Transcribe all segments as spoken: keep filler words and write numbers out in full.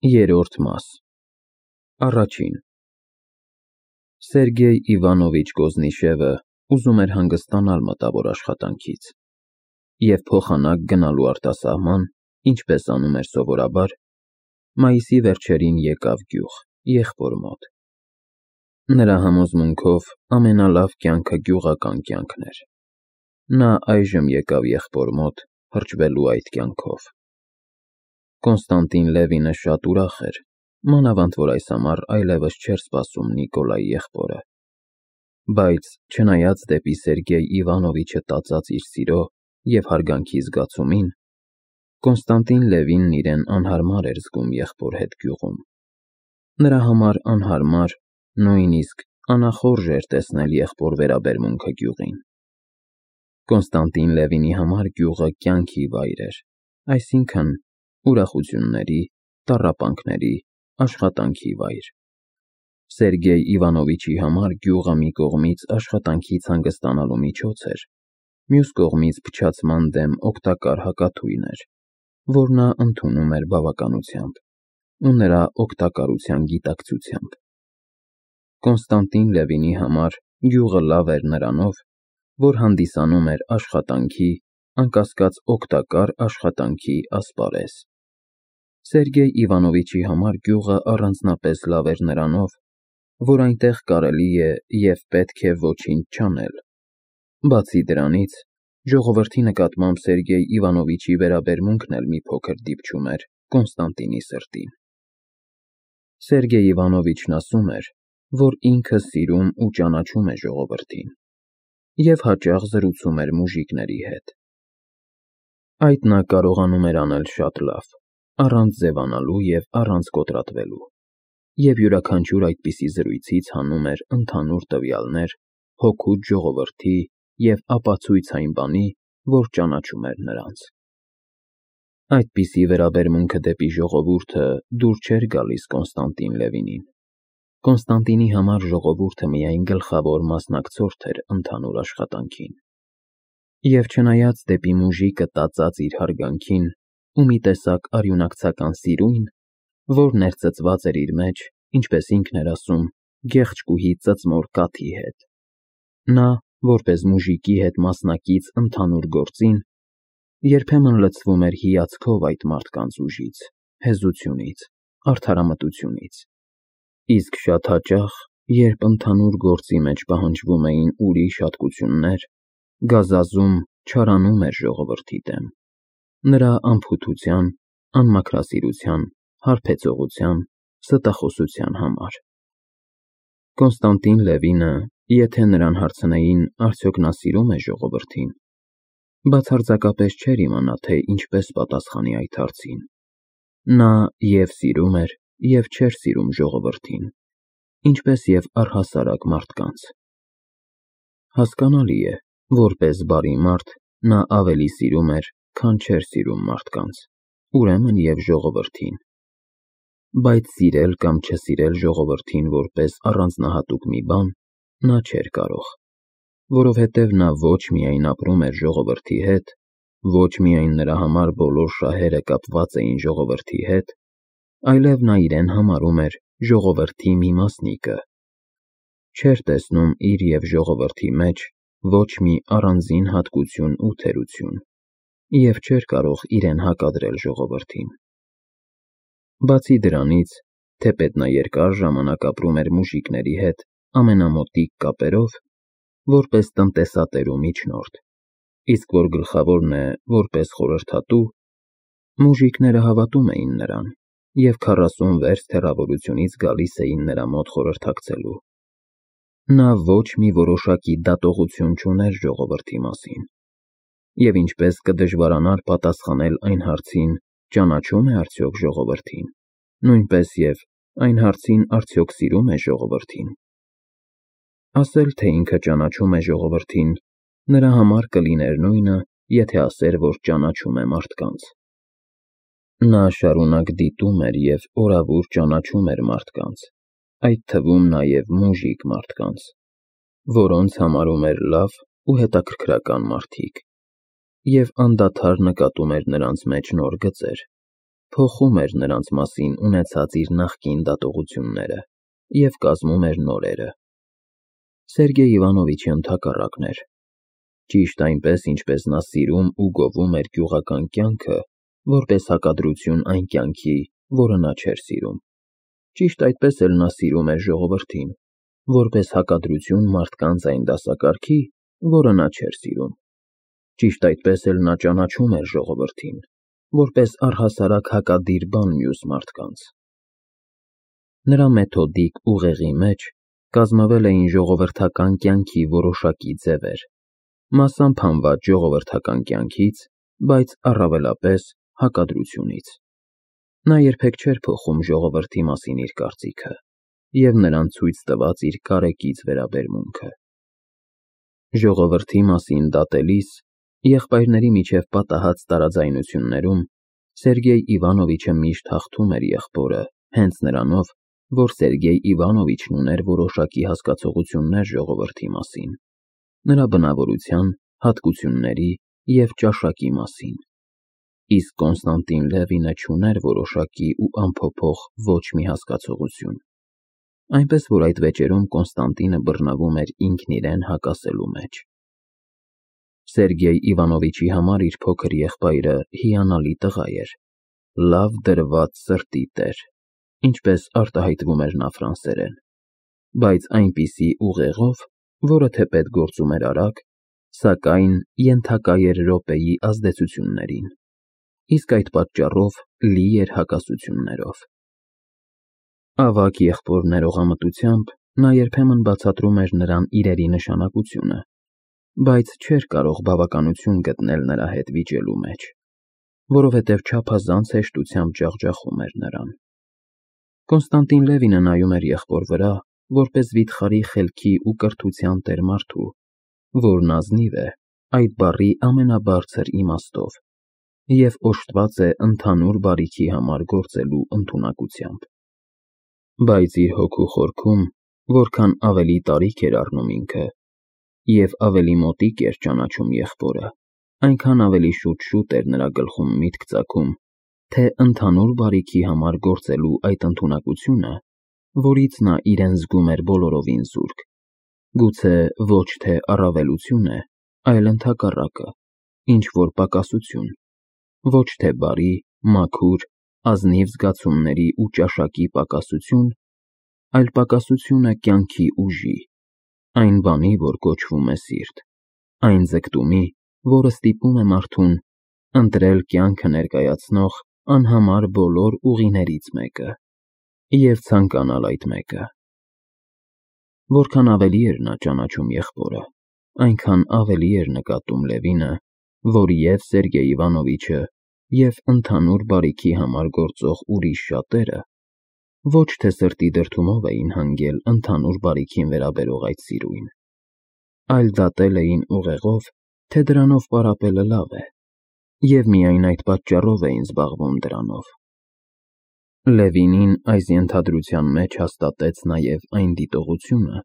Երրորդ մաս Առաջին Սերգեյ Իվանովիչ Կոզնիշևը ուզում էր հանգստանալ մտավոր աշխատանքից և փոխանակ գնալու արտասահման, ինչպես անում էր սովորաբար, մայիսի վերջերին եկավ գյուղ, եղբոր մոտ։ Նրա համոզմունքով ամենալավ կյանքը գյուղական կյանքն էր։ Նա այժմ եկավ եղբոր մոտ հրճվելու այդ կյանքով։ Կոնստանտին Լևինը շատ ուրախ էր, մանավանդ որ այս ամառ այլևս չէր սպասում Նիկոլայի եղբորը։ Բայց չնայած դեպի Սերգեյ Իվանովիչը տածած իր սիրո և հարգանքի զգացումին, Կոնստանտին Լևինն իրեն անհարմար էր զգում եղբոր հետ գյուղում։ Նրա համար անհարմար, նույնիսկ անախորժ էր տեսնել եղբոր վերաբերմունքը գյուղին։ Կոնստանտին Լևինի համար գյուղը կյանքի վայր էր, այսինքն՝ ուրախությունների, տառապանքների, աշխատանքի վայր։ Սերգեյ Իվանովիչի համար գյուղը մի կողմից աշխատանքից հանգստանալու միջոց էր, մյուս կողմից փչացման դեմ օգտակար հակաթույն էր, որ նա ընդունում էր բավականությամբ ու նրա օգտակարության գիտակցությամբ։ Կոնստանտին Լևինի համար գյուղը լավ էր նրանով, որ հանդիսանում էր աշխատանքի, անկասկած օգտակար աշխատանքի ասպարեզ։ Սերգեյ Իվանովիչի համար գյուղը առանձնապես լավ էր նրանով, որ այնտեղ կարելի է և պետք է ոչինչ չանել։ Բացի դրանից, ժողովրդի նկատմամբ Սերգեյ Իվանովիչի վերաբերմունքն էլ մի փոքր դիպչում էր Կոնստանտինի սրտին։ Սերգեյ Իվանովիչն ասում էր, որ ինքը սիրում ու ճանաչում է ժողովրդին և հաճախ զրուցում էր մուժիկների հետ։ Այդ նա կարողանում էր անել շատ լավ, առանց ձևանալու և առանց կոտրատվելու, և յուրաքանչյուր այդպիսի զրույցից հանում էր ընդհանուր տվյալներ հօգուտ ժողովրդի և ապացույց այն բանի, որ ճանաչում էր նրանց։ Այդպիսի վերաբերմունքը դեպի ժողովուրդը դուր չէր գալիս Կոնստանտին Լևինին։ Կոնստանտինի համար ժողովուրդը միայն գլխավոր մասնակցորդ էր ընդհանուր աշխատանքին։ Եվ չնայած դեպի մուժիկը տածած իր հարգանքին ու մի տեսակ արյունակցական սիրույն, որ ներծծված էր իր մեջ, ինչպես ինքն էր ասում, գեղեցկուհի ծծմոր կաթի հետ, նա, որպես մուժիկի հետ մասնակից ընդհանուր գործին, երբեմն լցվում էր հիացքով այդ մարդկանց ուժից, հեզությունից, արդարամտությունից, իսկ շատ հաճախ, երբ ընդհանուր գործի մեջ պահանջվում էին ուրիշ հատկություններ, գազազում, չարանում էր ժողովրդի դեմ, նրա անփութության, անմաքրասիրության, հարբեցողության, ստախոսության համար։ Կոնստանտին Լևինը, եթե նրան հարցնեին, արդյոք նա սիրում է ժողովրդին, բացարձակապես չէր իմանա, թե ինչպես պատասխանի այդ հարցին։ Նա և սիրում էր, և չէր սիրում ժողովրդին, ինչպես և առհասարակ մարդկանց։ Հասկանալի է, որպես բարի մարդ, նա ավելի սիրում էր, քան չէր սիրում մարդկանց, ուրեմն և ժողովրդին։ Բայց սիրել կամ չսիրել ժողովրդին որպես առանձնահատուկ մի բան նա չէր կարող, որովհետև նա ոչ միայն ապրում էր ժողովրդի հետ, ոչ միայն նրա համար բոլոր շահերը կապված էին ժողովրդի հետ, այլև նա իրեն համարում էր ժողովրդի մի մասնիկը, չէր տեսնում իր և ժողովրդի մեջ ոչ մի առանձին հատկություն ու թերություն և չէր կարող իրեն հակադրել ժողովրդին։ Բացի դրանից, թեպետ նա երկար ժամանակ ապրում էր մուժիկների հետ ամենամոտիկ կապերով, որպես տնտեսատեր ու միջնորդ, իսկ որ գլխավորն է որպես խորհրդատու, մուժիկները հավատում էին նրան և քառասուն վերստ հեռավորությունից գալիս էին նրա մոտ խորհրդակցելու։ Նա ոչ մի որոշակի դատողություն չուներ ժողովրդի մասին, և ինչպես կդժվարանար պատասխանել այն հարցին, ճանաչո՞ւմ է արդյոք ժողովրդին, նույնպես և այն հարցին, արդյոք սիրում է ժողովրդին։ Ասել, թե ինքը ճանաչում է ժողովրդին, նրա համար կլիներ նույնը, եթե ասեր, որ ճանաչում է մարդկանց։ Նա շարունակ դիտում էր և օրավուր ճանաչում էր մարդկանց, այդ թվում նաև մուժիկ մարդկանց, որոնց համարում էր լավ ու հետաքրքրական մարդիկ, և անդադար նկատում էր նրանց մեջ նոր գծեր, փոխում էր նրանց մասին ունեցած իր նախկին դատողությունները և կազմում էր նորերը։ Սերգեյ Իվանովիչի ընդհակառակն էր։ Ճիշտ այնպես, ինչպես նա սիրում ու գովում էր գյուղական կյանքը, որպես հակադրություն այն կյանքի, որը նա չէր սիրում։ Ճիշտ այդպես էլ նա սիրում էր ժողովրդին, որպես հակադրություն մարդկանց այն դասակարգի, որը նա չէր սիրում։ Ճիշտ այդպես էլ նա ճանաչում էր ժողովրդին, որպես առհասարակ հակադիր բան մյուս մարդկանց։ Նրա մեթոդիկ ուղեղի մեջ կազմվել էին ժողովրդական կյանքի որոշակի ձևեր, մասամբ հանված ժողովրդական կյանքից, բայց առավելապես հակադրությունից։ Նա երբեք չէր փոխում ժողովրդի մասին իր կարծիքը և նրան ցույց տված իր կարեկից վերաբերմունքը։ Ժողովրդի մասին դատելիս, եղբայրների միջև պատահած տարաձայնություններում Սերգեյ Իվանովիչը միշտ հաղթում էր եղբորը հենց նրանով, որ Սերգեյ Իվանովիչն ուներ որոշակի հասկացություններ ժողովրդի մասին, նրա բնավորության, հատկությունների և ճաշակի մասին, իսկ Կոնստանտին Լևինը չուներ որոշակի ու անփոփոխ ոչ մի հասկացություն, այնպես որ այդ վեճերում Կոնստանտինը բռնվում էր ինքն իրեն հակասելու մեջ։ Սերգեյ Իվանովիչի համար իր փոքր եղբայրը հիանալի տղա էր, լավ դրված սրտի տեր, ինչպես արտահայտվում էր նա ֆրանսերեն, բայց այնպիսի ուղեղով, որը թեպետ գործում էր արագ, սակայն ենթակա էր րոպեի ազդեցություններին, իսկ այդ պատճառով լի էր հակասություններով։ Ավագ եղբոր ներողամտությամբ նա երբեմն բացատրում էր նրան իրերի նշանակությունը, բայց չէր կարող բավականություն գտնել նրա հետ վիճելու մեջ, որովհետև չափազանց հեշտությամբ ջախջախում էր նրան։ Կոնստանտին Լևինը նայում էր եղբոր վրա, որպես վիթխարի խելքի ու կրթության տեր մարդու, որն ազնիվ է այդ բառի ամենաբարձր իմաստով և օժտված է ընդհանուր բարիքի համար գործելու ընդունակությամբ։ Բայց իր հոգու խորքում որքան ավելի տարիք էր առնում ինքը և ավելի մոտիկ էր ճանաչում եղբորը, այնքան ավելի շուտ-շուտ էր նրա գլխում միտք ծագում, թե ընդհանուր բարիքի համար գործելու այդ ընդունակությունը, որից նա իրեն զգում էր բոլորովին զուրկ, գուցե ոչ թե առավելություն է, այլ ընդհակառակը, ինչ-որ պակասություն, ոչ թե բարի, մաքուր, ազնիվ զգացումների ու ճաշակի պակասություն, այլ պակասություն է կյանքի ուժի, այն բանի, որ կոչվում է սիրտ, այն ձգտումի, որը ստիպում է մարդուն ընտրել կյանքը ներկայացնող անհամար բոլոր ուղիներից մեկը և ցանկանալ այդ մեկը։ Որքան ավելի էր նա ճանաչում եղբորը, այնքան ավելի էր նկատում Լևինը, որ և Սերգեյ Իվանովիչը, և ընդհանուր բարիքի համար գործող ուրիշ շատերը ոչ թե սրտի դրդումով էին հանգել ընդհանուր բարիքին վերաբերող այդ սիրույն, այլ դատել էին ուղեղով, թե դրանով պարապելը լավ է, և միայն այդ պատճառով էին զբաղվում դրանով։ Լևինին այս ենթադրության մեջ հաստատեց նաև այն դիտողությունը,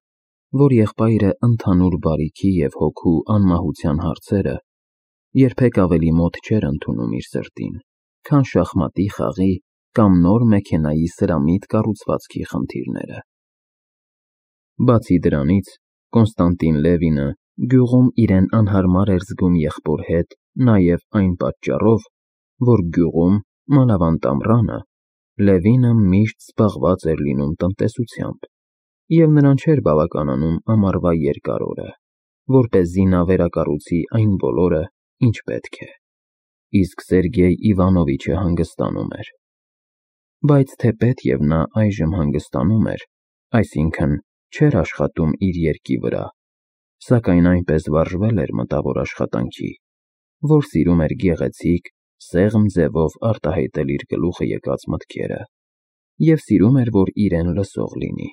որ եղբայրը ընդհանուր բարիքի և հոգու անմահության հարցերը երբեք ավելի մոտ չէր ընդունում իր սրտին, քան շախմատի խաղի կամ նոր մեքենայի սրամիտ կառուցվածքի խնդիրները։ Բացի դրանից, Կոնստանտին Լևինը գյուղում իրեն անհարմար էր զգում եղբոր հետ նաև այն պատճառով, որ գյուղում, մանավանդ ամռանը, Լևինը միշտ զբաղված էր լինում տնտեսությամբ, և նրան չէր բավականանում ամառվա երկար օրը, որպեսզի նա վերակառուցի այն բոլորը, ինչ պետք է, իսկ Սերգեյ Իվանովիչը հանգստանում էր։ Բայց թեպետ և նա այժմ հանգստանում էր, այսինքն չէր աշխատում իր երկի վրա, սակայն այնպես վարժվել էր մտավոր աշխատանքի, որ սիրում էր գեղեցիկ, սեղմ ձևով արտահայտել իր գլուխը եկած մտքերը և սիրում էր, որ իրեն լսող լինի։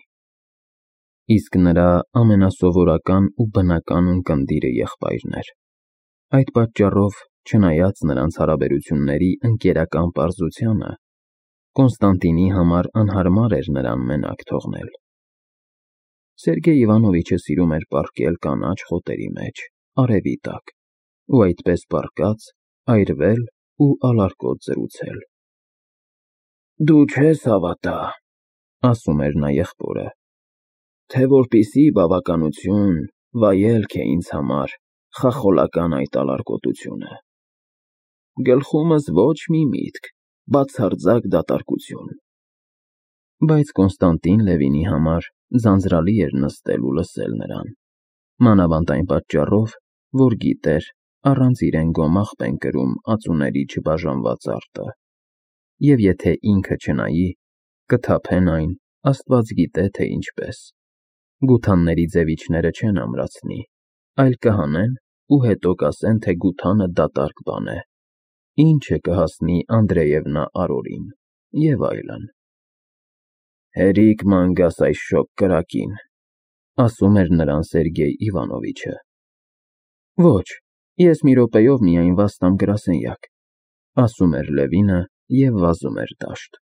Իսկ նրա ամենասովորական ու բնական ունկնդիրը եղբայրն էր։ Այդ պատճառով, չնայած նրանց հարաբերությունների ընկերական պարզությանը, Կոնստանտինի համար անհարմար էր նրան մենակ թողնել։ Սերգեյ Իվանովիչը սիրում էր պառկել կանաչ խոտերի մեջ, արևի տակ, ու այդպես պառկած այրվել ու ալարկոտ զրուցել։ Դու չես հավատա, ասում էր նա եղբորը, թե որպեսզի բավականություն, վայելք է ինձ համար խախոլական այդ ալարկոտությունը։ Գլխումս ոչ մի միտք, բացարձակ դատարկություն։ Բայց Կոնստանտին Լևինի համար ձանձրալի էր նստել ու լսել նրան, մանավանդ այն պատճառով, որ գիտեր, առանց իրեն գոմաղ են կրում ածուների չբաժանված արտը, և եթե ինքը չնայի, կթափեն այն, աստված գիտե թե ինչպես, գութանների ձևիչները չեն ամրացնի, այլ կհանեն ու հետո կասեն, թե գութանը դատարկ բան է, ինչը կհասնի Անդրեևնա Արորին և այլն։ Հերիք ման գաս այս շոգ կրակին, ասում էր նրան Սերգեյ Իվանովիչը։ Ոչ, ես մի րոպեով միայն վաստամ գրասենյակ, ասում էր Լևինը և վազում էր դաշտ։